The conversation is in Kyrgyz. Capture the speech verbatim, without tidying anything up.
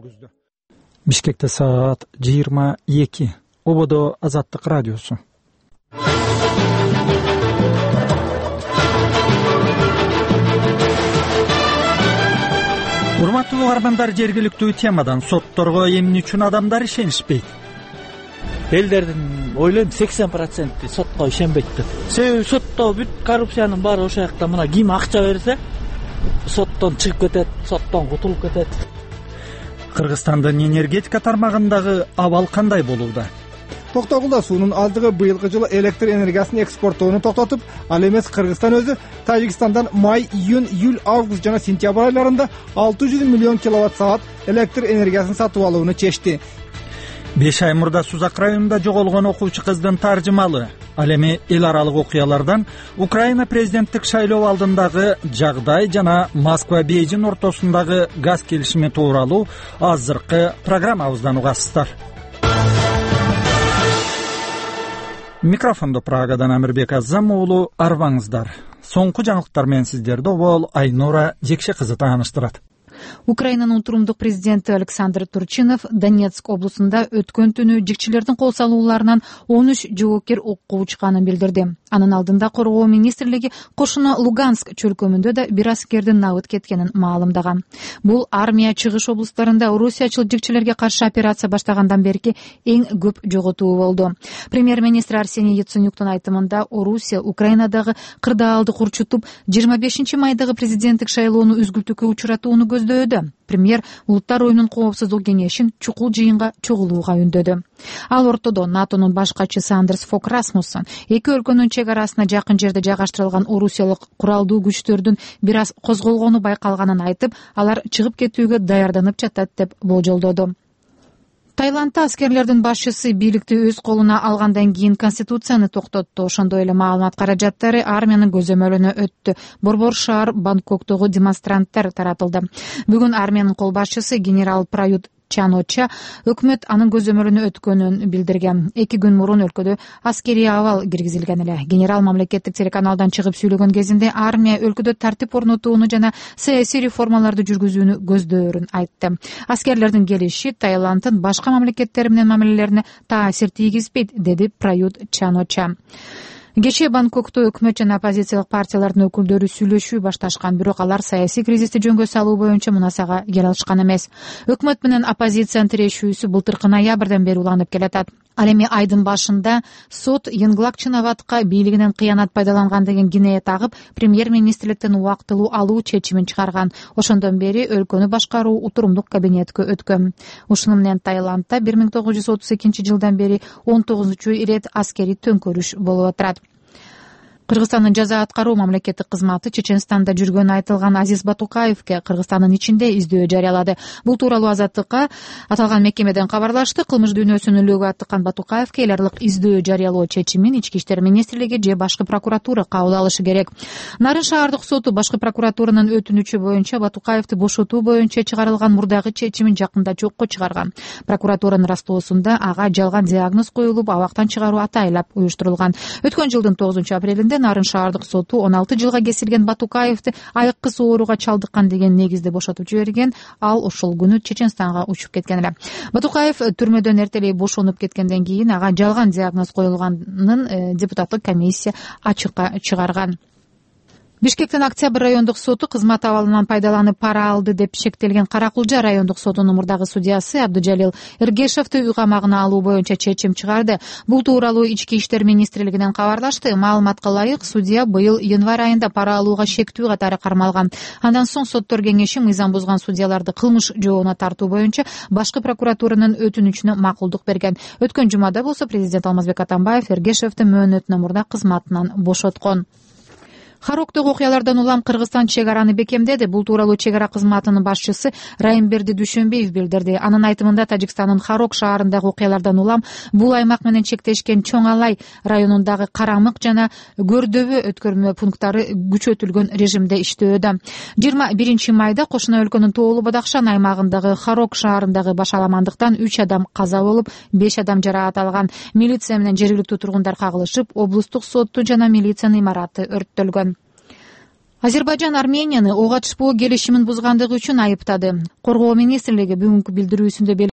жүргүздү. Бишкекте саат жыйырма эки. Ободо Азаттык радиосу. Урматтуу угармандар, жергиликтүү темадан: сотторго эмне үчүн адамдар ишенишпейт? Элдердин ойлойм сексен проценти сотко ишенбейт деп. Себеби сотто бүт коррупциянын баары ошол жакта. Мына ким акча берсе, соттон чыгып кетет, соттон кутулуп кетет. Кыргызстандын энергетика тармагындагы абал кандай болууда? Токтогулда суунун аздыгы быйылкы жылы электр энергиясын экспорттоону токтотуп, ал эмес Кыргызстан өзү Тажикстандан май, июнь, июль, август жана сентябрь айларында алты жүз миллион киловатт саат электр энергиясын сатып алууну чечти. беш ай мурда Сузак районунда жоголгон окуучу кыздын таржымалы. Ал эми эл аралык окуялардан Украина президенттик шайлоо алдындагы жагдай жана Москва Бейжин ортосундагы газ келишими тууралуу азыркы программабыздан угасыздар. Микрофондо Прагадан Амирбек Азам уулу, арбаңыздар. Соңку жаңылыктар менен сиздерди обол Айнура Жекше кызы тааныштырат. Украинанын утурумдук президенти Александр Турчинов Донецк облусунда өткөн түнү жигчилердин кол салууларынан он үч жоопкер окко учканын билдирди. Анын алдында коргоо министрлиги кошуна Луганск чөлкөмүндө да бир аскердин набыт кеткенин маалымдаган. Бул армия чыгыш облустарында орусиячыл жигчилерге каршы операция баштагандан берки эң көп жоготуу болду. Премьер-министр Арсений Яценюктун айтымында Орусия Украинадагы кырдаалды курчутуп, жыйырма бешинчи майдагы президенттик шайлоону үзгүлтүүгө учуратууну көздөдү. Премьер Улуттар оюнун коопсуздук кеңешин чукул жыйынга чогулууга үндөдү. Ал ортодо НАТОнун баш катчысы Андерс Фок Расмуссен эки өлкөнүн чек арасына жакын жерде жайгаштырылган орусиялык куралдуу күчтөрдүн бир аз козголгону байкалганын айтып, алар чыгып кетүүгө даярданып жатат деп болжолдоду. Таиландда аскерлердин башчысы бийликти өз колуна алгандан кийин конституцияны токтотту. Ошондой эле маалымат каражаттары армиянын көзөмөлүнө өттү. Борбор шаар Бангкоктогу демонстранттар таратылды. Бүгүн армиянын кол башчысы генерал Прают Чан-Оча өкмөт анын көзөмөлүнө өткөнүн билдирген. Эки күн мурун өлкөдө аскерий абал киргизилген эле. Генерал мамлекеттик телеканалдан чыгып сүйлөгөн кезинде армия өлкөдө тартип орнотууну жана саясий реформаларды жүргүзүүнү көздөөрүн айтты. Аскерлердин келиши Таиланддын башка мамлекеттер менен мамилелерине таасир тийгизбейт, деди Прают Чан-Оча. Кечээ Бангкокто өкмөт жана оппозициялык партиялардын өкүлдөрү сүйлөшүү башташкан, бирок алар саясий кризисти жөнгө салуу боюнча мунасага келе алышкан эмес. Өкмөт менен оппозициянын тирешүүсү былтыркы ноябрдан бери уланып келатат. Ал эми айдын башында сот Йынглак Чинаватка бийлигинен кыянат пайдаланган деген кинее тагып, премьер-министрликтен убактылуу алуу чечимин чыгарган. Ошондон бери өлкөнү башкаруу утурумдук кабинетке өткөн. Ушуну менен Таиландда бир миң тогуз жүз отуз экинчи жылдан бери он тогузунчу ирет аскерий төңкөрүш болуп атат. Кыргызстандын жаза аткаруу мамлекеттик кызматы Чеченстанда жүргөнү айтылган Азиз Батукаевке Кыргызстандын ичинде издөө жарыялады. Бул тууралуу Азаттыкка аталган мекемеден кабарлашты. Кылмыш дүйнөсүн үлөөгө аттыккан Батукаевке эл аралык издөө жарыялоо чечимин Ички иштер министрлиги же башкы прокуратура кабыл алышы керек. Нарын шаардык соту башкы прокуратуранын өтүнүчү боюнча Батукаевди бошотуу боюнча чыгарылган мурдагы чечимин жакында жокко чыгарган. Прокуратуранын растоосунда ага жалган диагноз коюлуп, абактан чыгаруу атайлап уюштурулган. Өткөн жылдын тогузунчу апрелинде Нарын шаардык соту он алты жылга кесилген Батукаевди айыккыс ооруга чалдыккан деген негизде бошотуп жиберген. Ал ошол күнү Чеченстанга учуп кеткен эле. Батукаев түрмөдөн эртелей бошонуп кеткенден кийин ага жалган диагноз коюлганын депутаттык комиссия ачыкка чыгарган. Бишкектин Октябрь райондук соту кызмат абалынан пайдаланып пара алды деп шектелген Каракулжа райондук сотунун мурдагы судьясы Абдыжалил Эргешевди үй камагына алуу боюнча чечим чыгарды. Бул тууралуу Ички иштер министрлигинен кабарлашты. Маалыматка ылайык, судья быйыл январь айында пара алууга шектүү катары кармалган. Андан соң соттор кеңеши мыйзам бузган судьяларды кылмыш жообуна тартуу боюнча башкы прокуратуранын өтүнүчүнө макулдук берген. Өткөн жумада болсо президент Алмазбек Атамбаев Эргешевди мөөнөтүнөн мурда кызматынан бошоткон. Хароктогу окуялардан улам Кыргызстан чек араны бекемдеди. Бул тууралуу чек ара кызматынын башчысы Райымберди Дүйшөнбиев билдирди. Анын айтымында Тажикстандын Харок шаарындагы окуялардан улам бул аймак менен чектешкен Чоң Алай районундагы Карамык жана Көрдөбө өткөрмө пункттары күчөтүлгөн режимде иштөөдө. жыйырма биринчи майда кошуна өлкөнүн Тоолу Бадакшан аймагындагы Харок шаарындагы башаламандыктан үч адам каза болуп, беш адам жараат алган. Милиция менен жергиликтүү тургундар кагылышып, облустук сотту жана милициянын имараты өрттөлгөн. Азербайжан Арменияны ок атышпоо келишимин бузгандыгы үчүн айыптады. Коргоо министрлиги бүгүнкү билдирүүсүндө